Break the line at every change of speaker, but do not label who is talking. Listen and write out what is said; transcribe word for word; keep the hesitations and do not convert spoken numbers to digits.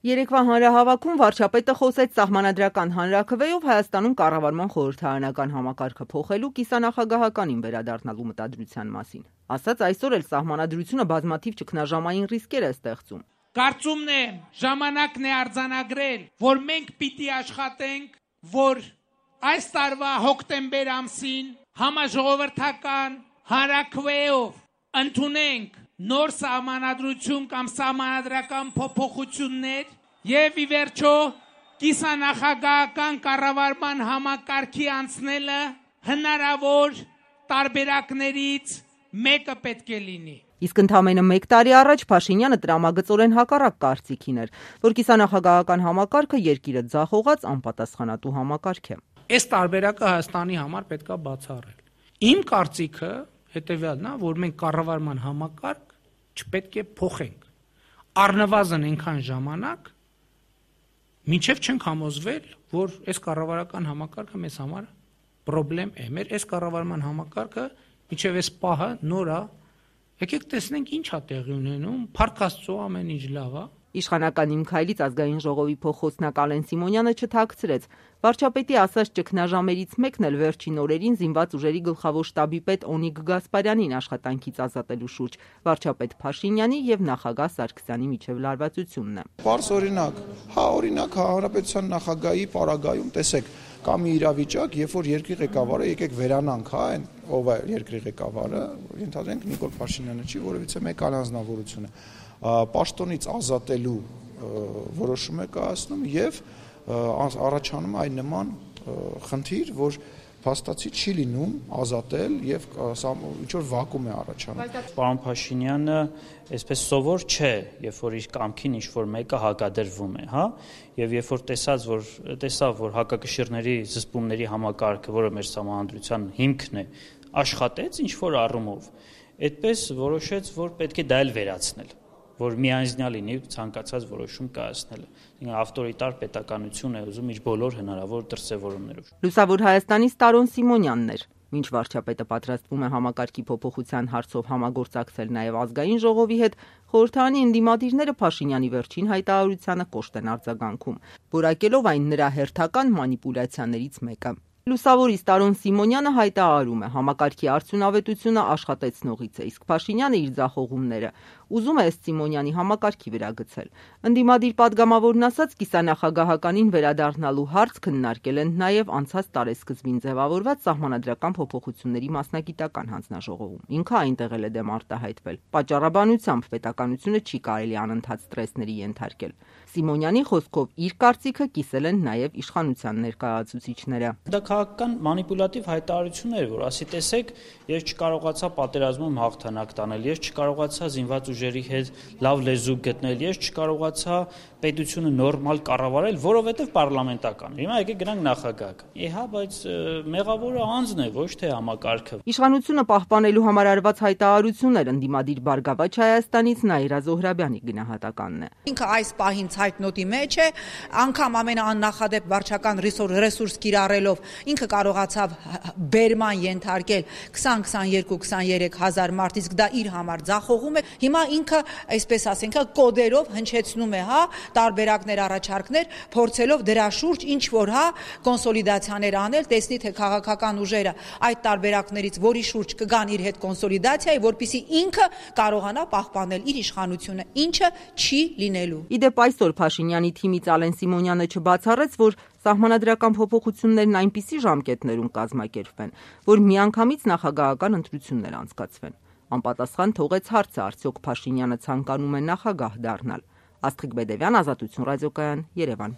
Երեկվա հանրահավաքում վարչապետը խոսեց սահմանադրական հանրաքվեով Հայաստանում կառավարման խորհրդարանական համակարգը փոխելու կիսանախագահականին վերադառնալու մտադրության մասին։ Ասաց, այսօր էլ սահմանադրությունը բազմաթիվ ճգնաժամային ռիսկեր է ստեղծում։
Կարծումն է, ժամանակն է արձանագրել, որ մենք պիտի աշխատենք, որ այս տարվա հոկտեմբեր ամսին համաժողովրդական հանրաքվեով ընդունենք նոր սահմանադրություն կամ սահմանադրական փոփոխություններ եւ ի վերջո կիսանախագահական կառավարման համակարգի անցնելը հնարավոր տարբերակներից մեկը պետք է լինի։
Իսկ ընդամենը մեկ տարի առաջ Փաշինյանը տրամագծորեն հակառակ կարծիքին էր, որ կիսանախագահական համակարգը երկիրը ձախողած անպատասխանատու համակարգ է։
Այս տարբերակը Հայաստանի համար պետք է բացառել։ Իմ կարծիքը հետեւյալն է, որ մենք կառավարման համակարգ չպետք է փոխենք։ Առնվազն այնքան ժամանակ, մինչև չենք համոզվել, որ այս կառավարական համակարգը մեզ համար պրոբլեմ է։ Մեր այս կառավարման համակարգը մինչև այս պահը նոր է։ Եկեք տեսնենք ինչ է տեղի ունենում, փառք Աստծո ամեն ինչ լավ է։
Իշխանական Իմ քայլից ազգային ժողովի փոխոցնակ Ալեն Սիմոնյանը չթաքցրեց։ Վարչապետի ասած ճգնաժամերից մեկն էլ վերջին օրերին զինված ուժերի գլխավոր շտաբի պետ Օնիկ Գասպարյանին աշխատանքից ազատելու շուրջ վարչապետ Փաշինյանի եւ նախագահ Սարգսյանի միջև լարվածությունն է։
Պարզ օրինակ, հա օրինակ հանրապետության նախագահի պարագայում տեսեք, կա մի իրավիճակ, երբ որ երկրի ղեկավարը եկեք վերանանք, հա, այն ով է երկրի ղեկավարը, ենթադրենք Նիկոլ Փաշինյանը չի, որովհետեւ մեկ առանձնավորություն է։ Պաշտոնից ազատելու որոշում է կայացնում եւ առաջանում այն նման խնդիր, որ փաստացի չի լինում ազատել եւ ինչ որ վակուում է առաջանում։
Պարոն Փաշինյանը այսպես սովոր չէ, երբ որ իր կամքին ինչ որ մեկը հակադրվում է, հա, եւ երբ որ տեսած որ տեսավ որ հակակշիռների զսպումների համակարգը, որը մեր սահմանադրության հիմքն է, աշխատեց ինչ որ առումով, այդպես որոշեց, որ պետք է դա էլ վերացնել, որ միանձնյա լինի ցանկացած որոշում կայացնելը։ Ավտորիտար պետականություն է ուզում իր բոլոր հնարավոր դրսևորումներով։
Լուսավոր Հայաստանից Տարոն Սիմոնյանն էր։ Մինչ վարչապետը պատրաստվում է համակարգի փոփոխության հարցով համագործակցել նաև ազգային ժողովի հետ, խորհրդարանի ընդդիմադիրները Փաշինյանի վերջին հայտարարությանը կոշտ են արձագանքում, որակելով այն նրա հերթական մանիպուլյացիաներից մեկը։ Լուսավորից Տարոն Սիմոնյանը հայտարարում է, համակարգի արդյունավետությունը աշխատեցնողից է, իսկ Փաշինյանը իր ձախողումները ուզում է ըստ Սիմոնյանի համակարգի վրա գցել։ Ընդդիմադիր падգամավորն ասաց, կիսանախագահականին վերադառնալու հարց քննարկել են նաև անցած տարեսկզբին ձևավորված սահմանադրական փոփոխությունների մասնագիտական հանձնաժողովում։ Ինքը այնտեղ էլ է դեմ արտահայտվել։ Պատճառաբանությամբ պետականությունը չի կարելի անընդհատ ստրեսների ենթարկել։ Սիմոնյանի խոսքով իր կարծիքը կիսել են նաև իշխանության ներկայացուցիչները։
Դա քաղաքական մանիպուլատիվ հայտարարություն էր, որ ասի տեսեք, ես չկարողացա պատերազմում հաղթանակ տանել, ես չկարողացա զինված ուժերի հետ լավ լեզու գտնել, ես չկարողացա պետությունը նորմալ կառավարել, որովհետև պարլամենտական։ Հիմա եկեք գնանք նախագահ։ Էհա, բայց մեղավորը անձն է, ոչ թե համակարգը։
Իշխանությունը պահպանելու համար արված հայտարարություններ ընդդիմադիր Բարգավաճ Հայաստանից Նաիրա Զոհրաբյանի գնահատականն է։
Ինքը այս պահին ցայտնոտի մեջ է, անգամ ամենաաննախադեպ վարչական ռեսուրս կիրառելով ինքը կարողացավ բերման ենթարկել քսան քսաներկու քսաներեք հազար մարդ, իսկ դա իր համար ձախողում է։ Հիմա ինքը, այսպես ասենք, կոդերով հնչեցնում է, հա, տարբերակներ, առաջարկներ, փորձելով դրա շուրջ ինչ որ, հա, կոնսոլիդացիաներ անել, տեսնի թե քաղաքական ուժերը այդ տարբերակներից որի շուրջ կգան իր հետ կոնսոլիդացիայի, որպեսզի ինքը կարողանա պահպանել իր իշխանությունը, ինչը չի լինելու։
Իդեպ այսօր Փաշինյանի թիմից Ալեն Սիմոնյանը չբացառեց, որ սահմանադրական փոփոխություններն այնպիսի ժամկետներում կազմակերպվեն, որ միանգամից նախագահական ընտրություններ անցկացվեն։ Անպատասխան թողեց հարցը, արդյոք Փաշինյանը ցանկանում է նախագահ դառնալ։ Աստղիկ Բեդևյան, Ազատություն ռադիոկայան, Երևան։